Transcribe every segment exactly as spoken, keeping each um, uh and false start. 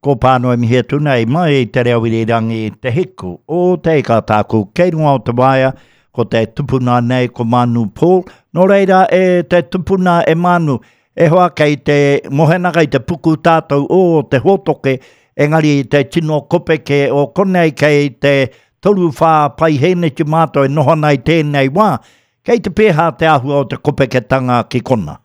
Ko pāno e mihi atu nei mai i te reo irirangi Te Hiku o Te Ika Tāku kei runga o te waea ko te tupuna nei ko Manu Paul. Nō reira e te tupuna e Manu, e hoa kei te mohena kei te puku tātou o te hōtoke, engari te tino kopeke o konei kei te toru whā paiheneti mātou e noho nei tēnei wā, kei te pēhā te āhua o te kopeketanga ki kona?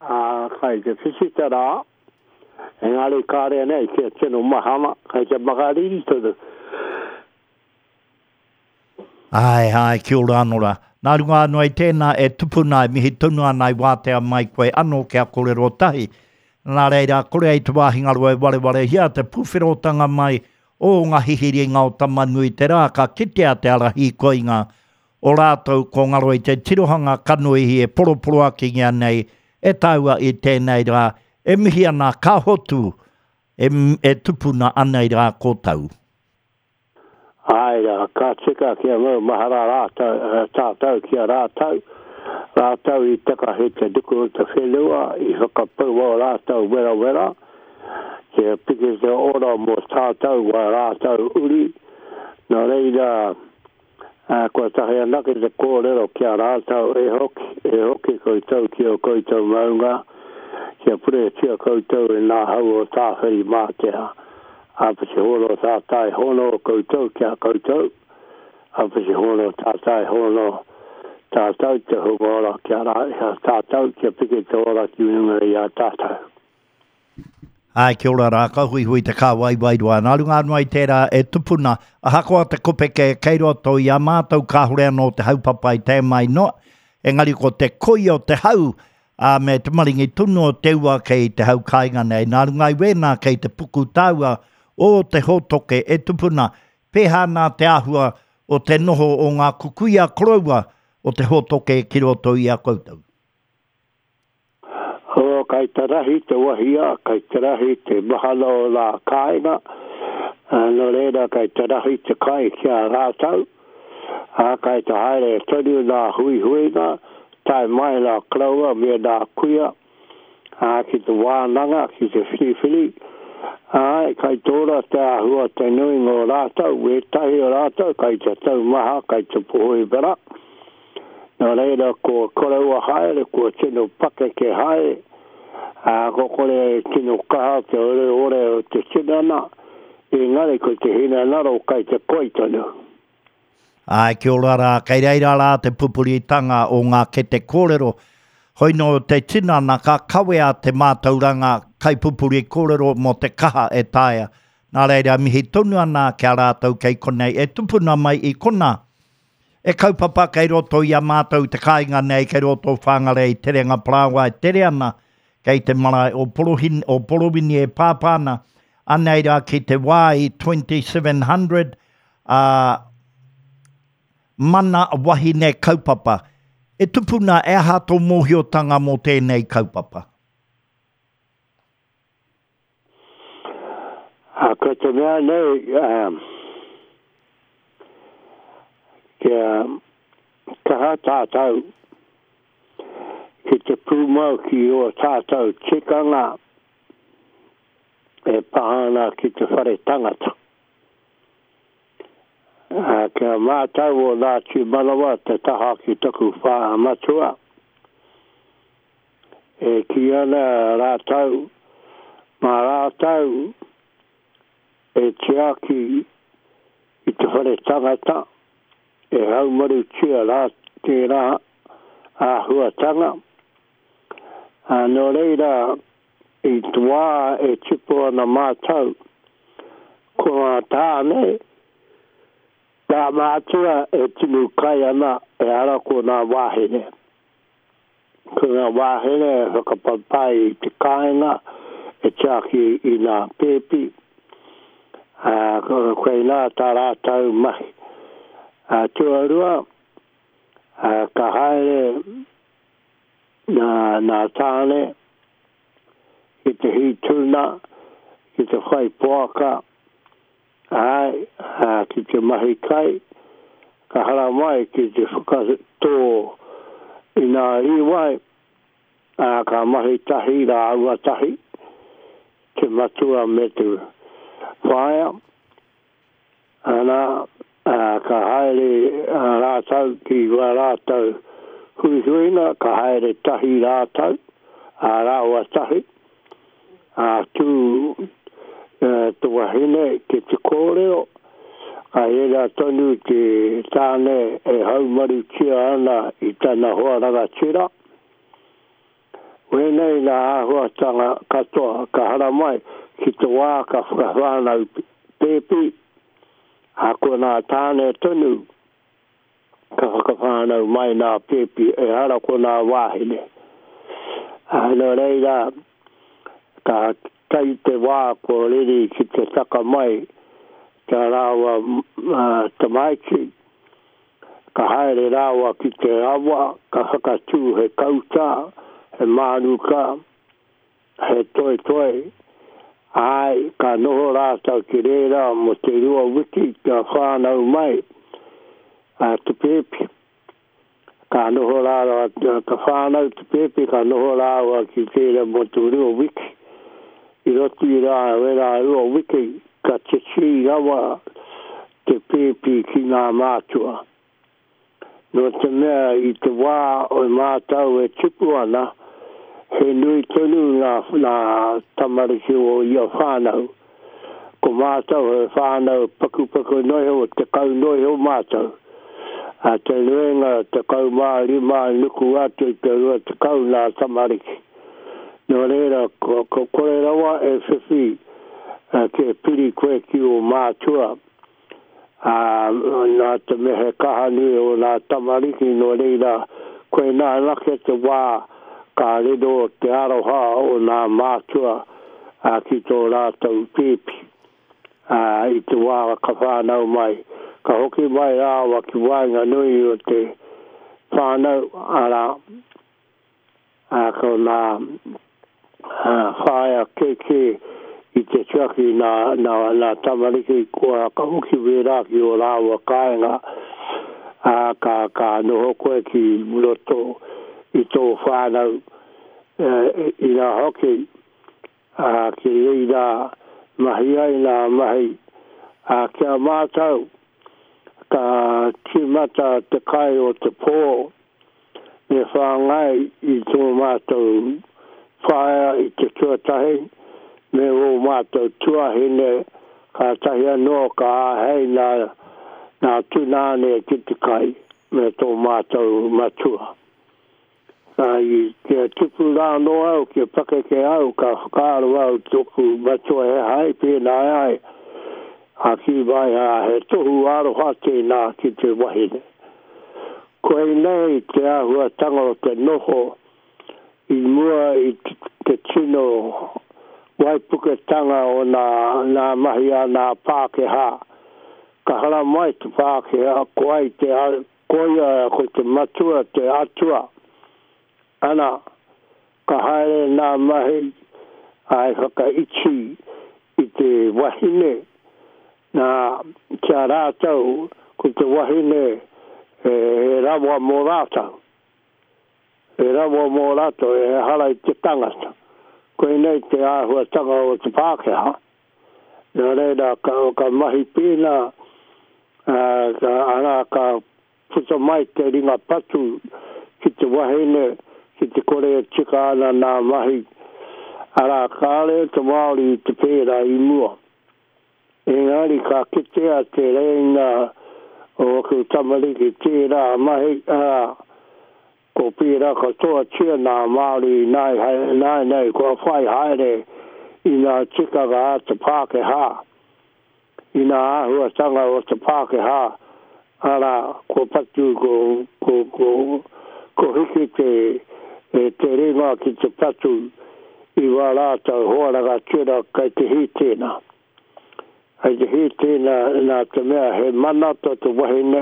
Ā, kai te whiti te rā, engari kāre nei kia tino mahana, kai te makariri tonu. Āe, āe, kia ora anō rā. Nā runga anō i tēnā e tupuna e mihi tonu ana i wātea mai koe anō kia kōrero tahi. Nā reira, kore ai te wāhi ngaro e warewarehia te pūwherotanga mai o ngā hihiringa o Tamanui te rā, ka kitea te ara hīkoinga o rātou ko ngaro i te tirohanga kanohi e poroporoakingia nei e tāua i tēnei rā, e mihi ana ka hotu e, e tupuna anei rā ko tau. Āe rā, ka tika kia mau mahara rātou, tātou ki a rātou, rātou i takahi te nuku o te whenua, i whakapau o rātou werawera, kia piki te ora mō tātou wā rātou uri, nā reira, kua tahi anake te kōrero ki a rātou e hoki, e hoki koutou ki o koutou maunga, kia puretia koutou e ngā hau o Tāwhirimātea. Āpiti hono tātai hono koutou ki a koutou, āpiti hono tātai hono tātou te hunga ora ki a rā, tātou kia piki te ora ki runga i a tātou. Ai, kia ora rā, ka huihui te kāwai wairua. Nā runga anō i tērā e tupuna, ahakoa te kopeke kei roto i a mātou kāhore anō te haupapa i tae mai noa, engari ko te koi o te hau, ā, me te maringi tonu o te ua kei te hau kāinga nei. Nā runga i wēnā kei te puku tāua o te hōtoke e tupuna, pēhā nā te āhua o te noho o ngā kukuia koroua o te hōtoke ki roto i a koutou. O, kai te rahi te wahia, kai te rahi te mahana o ngā kāinga, nō reira kai te rahi te kai ki a rātou, ā, kai te haere tonu ngā huihuinga, tae mai ngā koroua me ngā kuia, ā, ki te wānanga, ki te whiriwhiri, āe, kai te ora te āhua te nuinga o rātou, wētahi o rātou kai te taumaha, kai te pohoibera. Nō reira, kua koroua haere, kua tino pakeke haere, ā, kua kore e tino kaha te oreore o te tinana, engari ko te hinengaro kai te koi tonu. Āe, kia ora rā, kei reira rā te pupuritanga o ngā kete kōrero. Hoi nō te tinana ka kawea te mātauranga kaipupuri kōrero mō te kaha e taea. Nā reira mihi tonu ana ki a rātou kei konei e tupuna mai i konā. E kaupapa kei roto i a mātou te kāinga nei kei roto o Whangarei Terenga Parāoa e tere ana kei te marae o Porohin, o Porowini e pāpā ana. Anei rā ki te wā i twenty-seven hundred, ā, Mana Wahine kaupapa. E tupuna, e aha tō mōhiotanga mō tēnei kaupapa? Ā, ko te mea nei, kia kaha tātou ki te pūmau ki ō tātou tikanga e pā ana ki te whare tangata. Ā, kia mātau o Ngāti Manawa te taha ki taku whā matua, e kī ana rātou, mā rātou e tiaki i te whare tangata, e haumarutia rā tērā āhuatanga. Ā, nō reira, i te wā e tipu ana mātou, ko ngā tāne, ngā mātua e tunu kai ana ehara ko ngā wāhine. Ko ngā wāhine e whakapapai i te kāinga, e tiaki i ngā pēpi, ā, koinā tā rātou mahi. Ā, tuarua, ā, ka haere ngā, ngā tāne ki te hī tuna, ki te whai poaka, āe, ā, ki te mahi kai, ka haramai ki te whakatō i ngā rīwai, ā, ka mahi tahi rāua tahi, te matua me te whaea. Ana, ka haere rātou ki wā rātou huihuina, ka haere tahi rātou, a rāua tahi, a tū te wahine ki te kōrero, ka hera tonu te tāne e haumarutia ana i tana hoa rangatira. Wēnei nā āhuatanga katoa ka haramai ki te wā ka whakawhānau pēpi, a ko nā tāne tonu ka whakawhānau mai nā pēpi e hara ko nā wāhine. A nō reira, ka tai te wā ko riri ki te taka mai tā rāua uh, tamaiti, ka haere rāua ki te awa, ka whakatū he kauta, he mānuka, he toi toi, ai, ka noho rātou ki reira mo te rua wiki kia whānau mai a te pēpi. Ka noho rāua, ka whānau te pēpi, ka noho rāua ki tērā mo te rua wiki. I roto i rā, wera rua wiki, ka te tī rawa te pēpi ki ngā mātua. Nō te mea i te wā o mātau e tipu ana, he nui tonu ngā, ngā tamariki o ia whānau. Ko mātau he whānau pakupaku noiho, te kau noiho mātau. A te nuinga te kau mā rima nuku atu i te rua te kau nā tamariki. Nō reira, ko, ko kore rawa e whiwhi ke piri koe ki o mātua. A, nā te mehe kaha nui o nā tamariki, nō reira, koe nā anake te wā ka riro te aroha o nā mātua a, ki tō rātou pēpi a, i te wā ka whānau mai. Ka hoki mai rāua ki waenga nui o te whānau, ara, a, ko nā whaea keke i te tiaki nā, nā, nā tamariki kua ka hoki wērā ki o rāua kāinga, a, ka, ka noho koe ki roto i tō whānau e, i rā hoki, a, ki reira mahi ai nā mahi. A, kia mātau, ka tīmata te kai o te pō, me whāngai i tō mātou whaea i te tuatahi, me o mātou tuahine, ka tahi anō ka āhei nā, nā tūnāne ki te kai, me tō mātou matua. Ka i kia tupu rā no au, kia pakeke au, ka whakaaro au tōku matua he hai pēnā ai, a ki mai a he tohu aroha tēnā ki te wahine. Koe nei te āhuatanga o te noho i mua i te tino waipuketanga o nā, nā mahi a nā Pākehā. Ka hara mai te Pākehā, ko ai te, koia ko te matua, te atua. Ana, ka haere nā mahi ai whakaiti i te wahine, nā kia rātou ko te wahine e, e rawa mō rātou. E rawa mō rātou e hara i te tangata. Koinei te āhuatanga o te Pākehā. Nā reira, ka, ka mahi pēnā, ka, ara, ka puta mai te ringa patu ki te wahine, ki te kore e tika ana nā mahi. Ara, kāre te Māori i te pērā i mua. Engari ka kitea te reinga o aku tamariki tērā mahi, ara, ko pērā katoa tia nā Māori nai, nai nei, kua whai haere i nā tikanga a te Pākehā, i nā āhuatanga o te Pākehā, ara, ko patu, ko, ko, ko, ko hiki te, e, te ringa ki te patu i wā rātou hoa rangatira kei te hī tēnā. Hei te hī tēnā nā te mea he mana tō te wahine,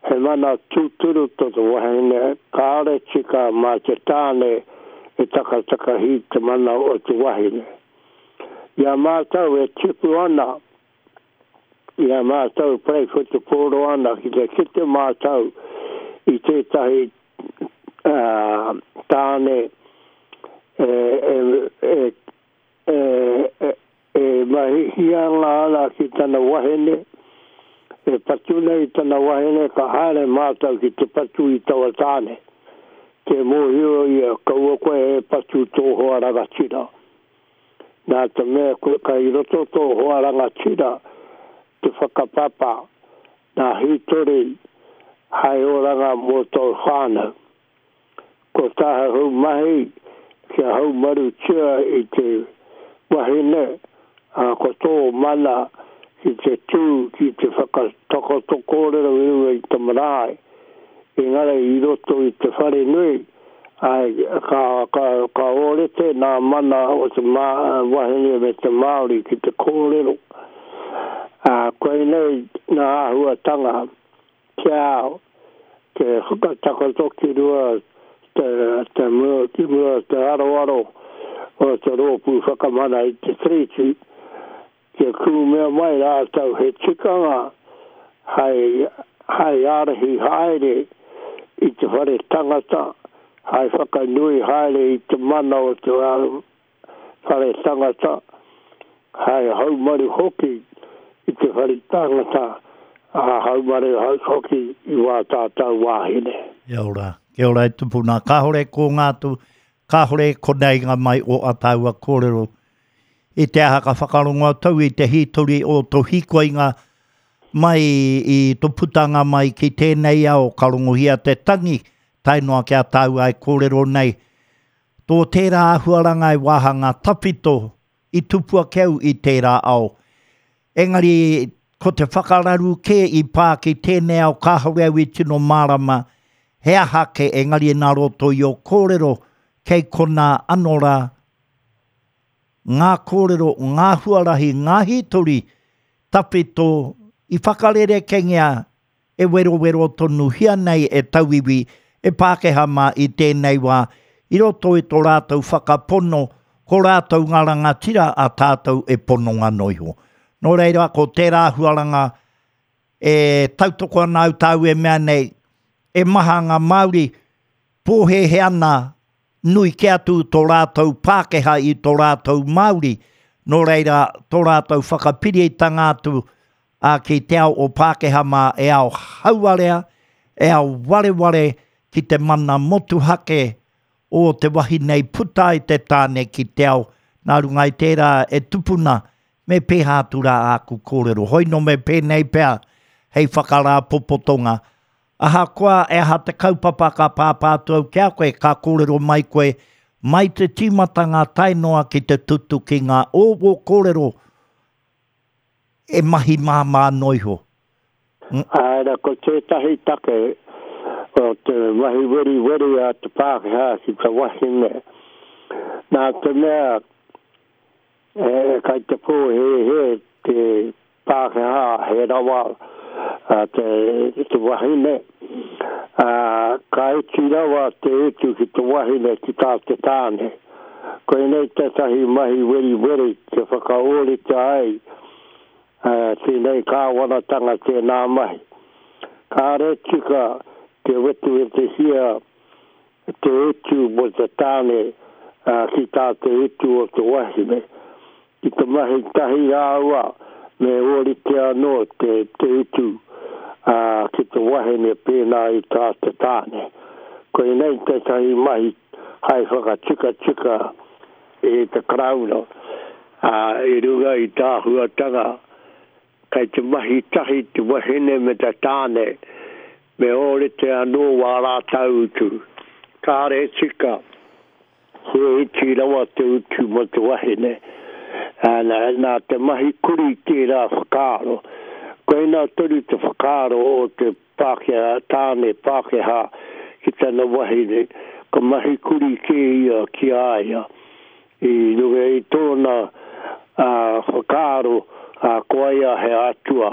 he mana tūturu tō te wahine, kāre tika mā te tāne e takatakahi te mana o te wahine. I a mātou e tipu ana, i a mātou prei whutupōro ana, ki te kite mātou i tētahi uh, tāne e, e, e, e, whakahianga ana ki tana wahine, e patu nei tana wahine ka haere mātou ki te patu i taua tāne. Te mōhio ia kaua koe e patu tō hoa rangatira. Nā te mea koe kai roto tō hoa rangatira te whakapapa nā hītori hai oranga mō tō whānau. Ko taha hau mahi kia haumarutia i te wahine, a ko tō mana ki te tū, ki te whakatakoto kōrero i runga i te marae, engari i roto i te whare nui, ai, ka, ka, ka ōrite nā mana o te ma, wahine me te Māori ki te kōrero. A, koinei nā āhuatanga kia ao, te whakatakoto ki rua te, te mua, ki mua te aroaro o te rōpū whakamana i te Tiriti, kia kūmea mai rātou he tikanga hai, hai ārahi haere i te whare tangata, hai whakanui haere i te mana o te whare tangata, hai haumaru hoki i te whare tangata, a haumaru hoki i wā tātou wāhine. Kia ora, kia ora e tupuna. Kāhore ko ngā tu, kāhore konei ngā mai o a tāua kōrero. I te aha ka whakarongo tau i te hītori o tō hīkoinga mai i tō putanga mai ki tēnei ao ka rongohia te tangi, tae noa kia tāua e kōrero nei. Tō tērā āhuaranga e wāhanga tawhito i tupua keu i tērā ao. Engari ko te whakararu kē i pā ki tēnei ao kāhore au i tino mārama, he aha ke engari nā roto i o kōrero kei kona anō rā ngā kōrero, ngā huarahi, ngā hītori tawhito i whakarere kengia e werowero tonuhia nei e tauiwi e Pākehā mā i tēnei wā i roto i tō rātou whakapono, ko rātou ngā rangatira a tātou e pononga noa iho. Nō reira, ko tērā huaranga e tautoko ana au tāu e mea nei, e maha ngā Māori pōhēhē ana nui ke atu tō rātou Pākehā i tō rātou Māori. Nō reira, tō rātou whakapiritanga atu a ki te ao o Pākehā mā e ao hauarea, e ao wareware ki te mana motuhake o te wahine i puta i te tāne ki te ao. Nā runga i tērā e tupuna, me pēhā atu rā āku kōrero. Hoi no me pēnei pea hei whakarāpopotonga. Ahakoa e aha te kaupapa ka pāpā atu au ki a koe, ka kōrero mai koe, mai te tīmatanga tae noa ki te tutukinga o o kōrero e mahi māmā noa iho. Āera, ko tētahi take o te mahi weri weri a te Pākehā ki te wahine. Nā te mea e, kai te pōhēhē te Pākehā he rawa a te, te wahine. A, ka iti rawa te utu ki te wahine ki tā te tāne. Koinei tētahi mahi weri weri te whakaōrite ai uh, tēnei kāwanatanga tēnā mahi. Kāre tika te wetuwetehia te utu mo te tāne uh, ki tā te utu o te wahine. Ki te mahi tahi rāua me ōrite anō te, te utu uh, ki te wahine pēnā i tā te tāne. Koinei tētahi mahi hai whakatikatika e te Karauna uh, i runga i tā huatanga kai te mahi tahi te wahine me te tāne me ōrite anō wā rātou utu. Kāre tika, he iti rawa te utu mo te wahine. Nā, nā te mahi kuri tērā whakaaro. Koina tonu te whakaaro o te Pākehā, tāne Pākehā ki tana wahine, ka mahi kuri kē ia ki a ia. I runga i tōna uh, whakaaro, uh, koia he atua,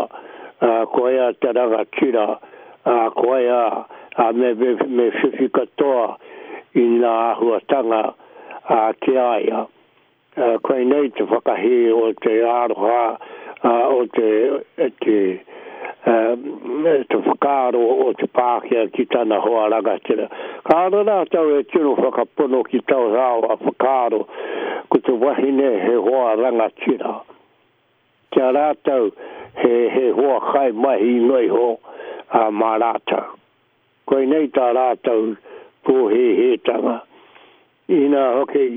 uh, koia te rangatira, uh, koia uh, me, me, me whiwhi katoa i ngā āhuatanga uh, ki a ia. Uh, koinei te whakahē o te aroha, uh, o te, te, uh, te whakaaro o te Pākehā ki tana hoa rangatira. Kāre rātou e tino whakapono ki tau rāua whakaaro ko te wahine he hoa rangatira. Ki a rātou he, he hoa kai mahi noiho a mā rātou. Koinei tā rātou pōhēhētanga. Ina hoki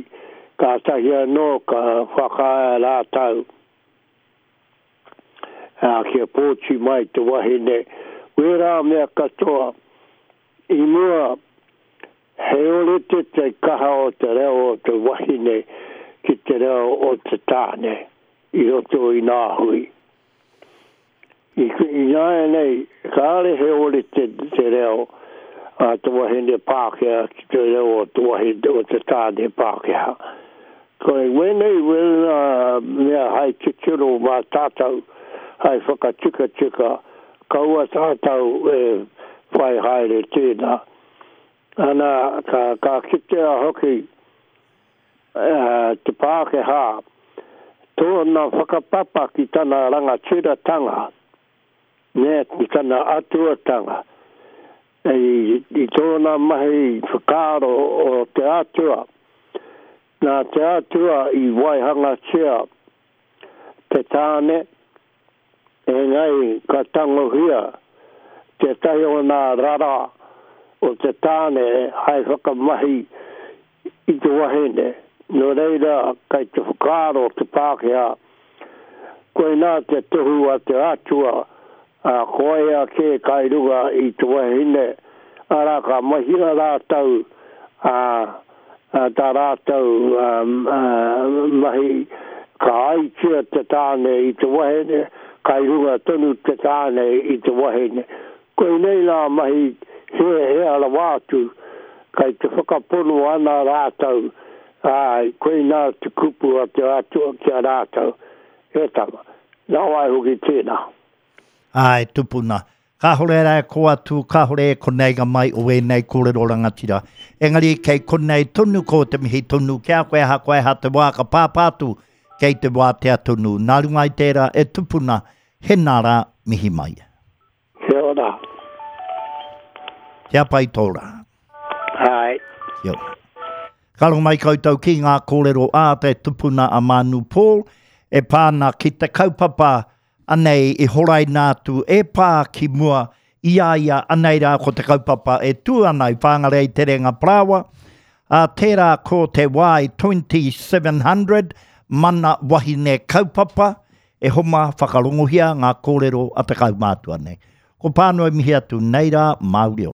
kātahi anō ka whakaae rātou a, kia pōti mai te wahine. Wērā mea katoa i mua he ōrite te kaha o te reo o te wahine ki te reo o te tāne i roto i ngā hui. I, ināianei, kāre he ōrite te reo a te wahine Pākehā ki te reo o te wahine o te tāne Pākehā. Ko wēnei wēnā mea hai titiro mā tātou, hai whakatikatika, kaua tātou e whai haere tēnā. Ana, ka, ka kitea hoki uh, te Pākehā, tōna whakapapa ki tana rangatiratanga, ne, ki tana atuatanga, i, i tōna mahi whakaaro o te atua. Nā te atua i waihangatia te tāne, engari ka tangohia tētahi o ngā rara o te tāne hai whakamahi i te wahine. Nō reira kai te whakaaro te Pākehā, koinā te tohu a te atua, a koia kē kai runga i te wahine, arā ka mahia rātou a, a tā rātou um, uh, mahi, ka aitia te tāne i te wahine, kai runga tonu te tāne i te wahine. Koinei ngā mahi he hea rawa atu, kai te whakapono ana rātou, ai, koinā te kupu a te atua ki a rātou. E tama, nā wai hoki tēnā. Ai, tupuna. Kāhore rā ko atu, kāhore e konei ngā mai o ēnei kōrero rangatira. Engari, kei konei tonu ko te mihi tonu, kia koe aha koe aha te wā ka pāpātu, kei te wātea tonu. Nā runga i tērā e tupuna, he nā rā mihi mai. Kia ora. Kia pai tō rā. Ai. Kia ora. Ka rongo mai koutou ki ngā kōrero a te tupuna a Manu Paul, e pāna ki te kaupapa anei i horaina atu e pā ki mua i a ia anei rā ko te kaupapa e tū ana i Whangarei Terenga Parāoa. A tērā ko te Y twenty-seven hundred mana wahine kaupapa e homa whakarongohia ngā kōrero a te kaumātua nei. Ko pānui mihi atu nei rā, Māori ora.